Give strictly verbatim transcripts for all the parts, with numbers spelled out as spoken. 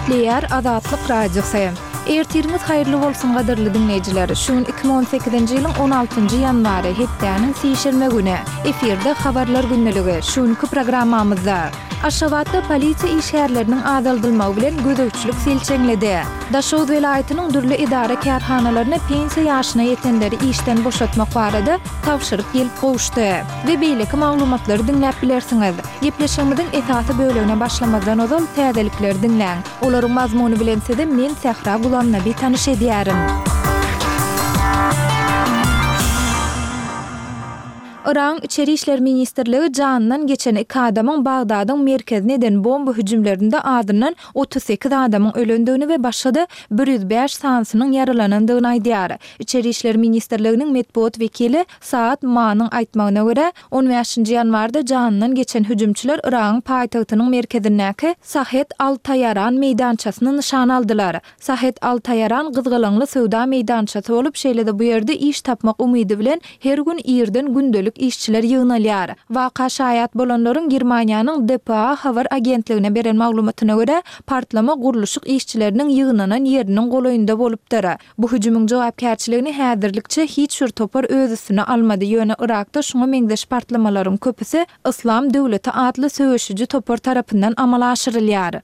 Gepleýär Azatlyk Radiosy. Ertiriňiz haýyrly bolsun gadyrly diňleýjiler. Şu gün iki müň on sekizinji ýylyň on altynjy ýanwary, hepdäniň sişenbe güni. Efirde Habarlar gündeligi. Şu günki programmamyzda. Aşgabatda polisiýa işgärleriniň azaldylmagy bilen gözegçilik selçeňledi. Daşoguz welaýatynyň dürli edara-kärhanalaryna pensiýa ýaşyna ýetenleri işden boşatmak barada tabşyryk gelip gowuşdy. We beýleki maglumatlary diňläp bilersiňiz. Gepleşigimiziň esasy bölegine başlamazdan ozal täzelikleri diňläň. Olaryň mazmuny bilen sizi men Sähra Gulamnabi tanyş edýärin. Yragyň Içeri işler ministrligi janyndan geçen iki adamyň Bagdadyň merkezine eden bomba hüjümlerinde azyndan otuz sekiz adamyň ölendigini we başga-da bir ýüz bäş sanysynyň ýaralanandygyny aýdýar. Içeri işler ministrliginiň metbugat wekili Saad Manyň aýtmagyna görä, on bäşinji ýanwarda janyndan geçen hüjümçiler Yragyň paýtagtynyň merkezindäki Sahet al-Taýaran meýdançasyny nyşana aldylar. Sahet al-Taýaran gyzgalaňly söwda meýdançasy bolup, şeýle-de bu ýerde iş tapmak umydy bilen her gün irden gündelik işçiler ýygnalýar. Waka şaýat bolanlaryň Germaniýanyň D P A habar agentligine beren maglumatyna görä, partlama gurluşyk işçileriniň ýygnanan ýeriniň golaýynda bolupdyr. Bu hüjümiň jogapkärçiligini häzirlikçe hiç bir topar öz üstüne almady, ýöne Yrakda şuňa meňzeş partlamalaryň köpüsi Yslam döwleti atly söweşiji topar tarapyndan amala aşyrylýar.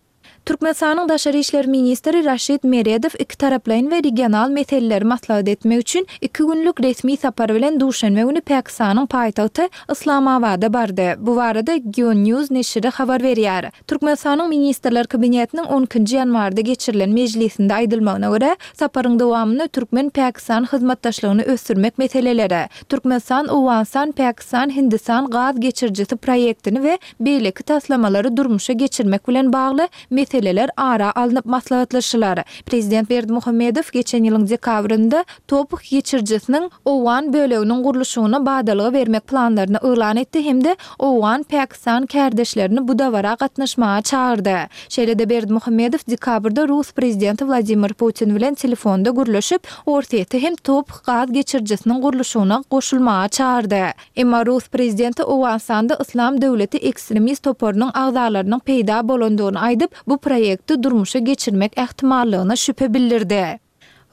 Türkmenistanyň Daşary işler ministri Raşid Meredow ikitaraplaýyn we regional meseleleri maslahat etmek üçin iki günlük resmi sapar bilen duşenbe güni Pakistanyň paýtagty Yslamabada bardy. Bu barada Geo News neşiri habar berýär. Türkmenistanyň Ministrler Kabinetiniň on ikinji ýanwarda geçirilen mejlisinde aýdylmagyna görä, saparyň dowamynda türkmen-pakistan hyzmatdaşlygyny ösdürmek meseleleri, Türkmenistan-Owganystan-Pakistan-Hindistan gaz geçirijisi proýektini we beýleki taslamalary durmuşa geçirmek bilen bagly meseleler ara alnyp maslahatlaşylar. Prezident Berdimuhamedow geçen ýylyň dekabrynda Toph geçirijisiniň owgan böleginiň gurluşygyna badalga bermek planlaryny yglan etdi hem-de owgan-pakistan kärdeşlerini bu dabara gatnaşmaga çagyrdy. Şeýle-de Berdimuhamedow dekabrda rus prezidenti Wladimir Putin bilen telefonda gürleşip, Orsýeti hem Toph gaz geçirijisiniň gurluşygyna goşulmaga çagyrdy. Emma rus prezidenti Owganystanda Yslam döwleti ekstremist toparynyň agzalarynyň peýda bolandygyny aýdyp, bu proýekti durmuşa geçirmek ähtimallygyna şübhe bildirdi.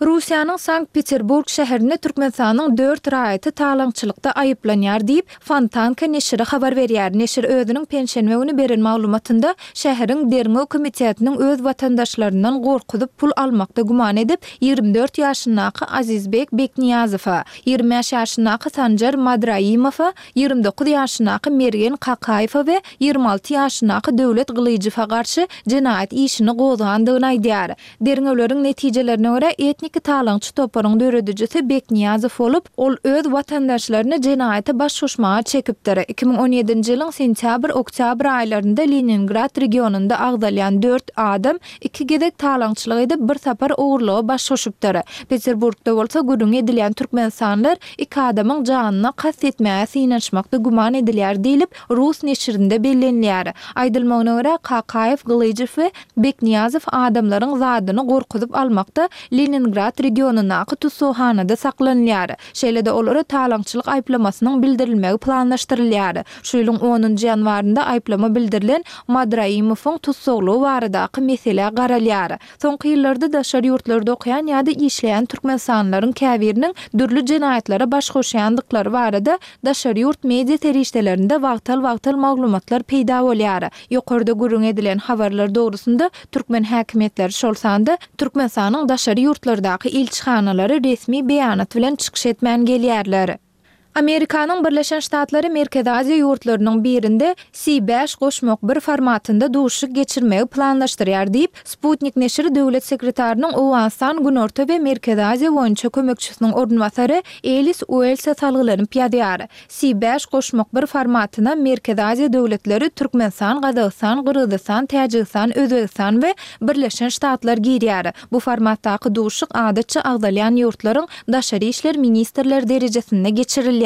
Russiýanyň Sankt-Peterburg şäherinde Türkmenistanyň dört raýaty talaňçylykda aýyplanýar diýip, Fontanka neşiri habar berýär. Neşir özüniň penşenbe güni beren maglumatynda şäheriň derňew komitetiniň öz watandaşlaryndan gorkuzyp pul almakda güman edip, ýigrimi dört ýaşyndaky Azizbek Bekniýazowa, ýigrimi bäş ýaşyndaky Sanjar Madraimowa, ýigrimi dokuz ýaşyndaky Mergen Kakaýewa we ýigrimi alty ýaşyndaky Döwlet Gylyjowa garşy jenaýat işini gozgandygyny aýdýar. Derňewleriň netijelerine görä, etniki talaňçy toparyň döredijisi Bekniýazow bolup, ol öz watandaşlaryny jenaýata baş goşmaga çekipdir. Iki müň on ýedinji ýylyň sentýabr-oktýabr aýlarynda Leningrad regionynda agzalýan dört adam iki gezek talaňçylyk edip, bir sapar ogurlyga baş goşupdyr. Peterburgda bolsa gürrüňi edilýän türkmenistanlylar iki adamyň janyna kast etmäge synanyşmakda güman edilýär diýlip, rus neşirinde bellenilýär. Aýdylmagyna görä, Kakaýew, Gylyjow we Bekniýazow adamlaryň zadyny gorkuzyp almakda Leningrad regionyndaky tussaghanada saklanylýar. Şeýle-de olara talaňçylyk aýyplamasynyň bildirilmegi planlaşdyrylýar. Şu ýylyň onunjy ýanwarynda aýyplama bildirilen Madraimowyň tussaglygy baradaky meselä garalýar. Soňky ýyllarda daşary ýurtlarda okaýan ýa-da işleýän türkmenistanlylaryň käbiriniň dürli jenaýatlara baş goşýandyklary barada daşary ýurt media serişdelerinde wagtal-wagtal maglumatlar peýda bolýar. Ýokarda gürrüň edilen habarlar dogrusynda türkmen häkimiýetleri, şol sanda Türkmenistanyň daşary ýurtlardaky ilçihanalary resmi beýanat bilen çykyş etmän gelýärler. Amerikanyň Birleşen Ştatlary Merkezi Aziýa ýurtlarynyň birinde C bäş goşmak bir formatynda duşuşyk geçirmegi planlaşdyrýar diýip, Sputnik neşiri döwlet sekretarynyň Owganystan, Günorta we Merkezi Aziýa boýunça kömekçisiniň orunbasary Elis Uelse salgylanyp ýazýar. C bäş goşmak bir formatyna Merkezi Aziýa döwletleri Türkmenistan, Gazagystan, Gyrgyzystan, Täjigistan, Özbegistan we Birleşen Ştatlar girýär. Bu formatdaky duşuşyk adatça agzalýan ýurtlaryň daşary işler ministrleri derejesinde geçirilýär.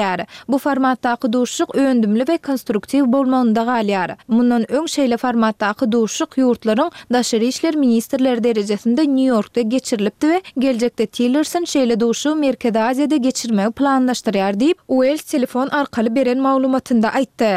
Bu formatdaky duşuşyk öndümli we konstruktiw bolmagynda galýar. Mundan öň şeýle formatdaky duşuşyk ýurtlaryň daşary işler ministrleri derejesinde Nýu-Ýorkda geçirilipdi we geljekde Tillerson şeýle duşuşygy Merkezi Aziýada geçirmegi planlaşdyrýar diýip, Uells telefon arkaly beren maglumatynda aýtdy.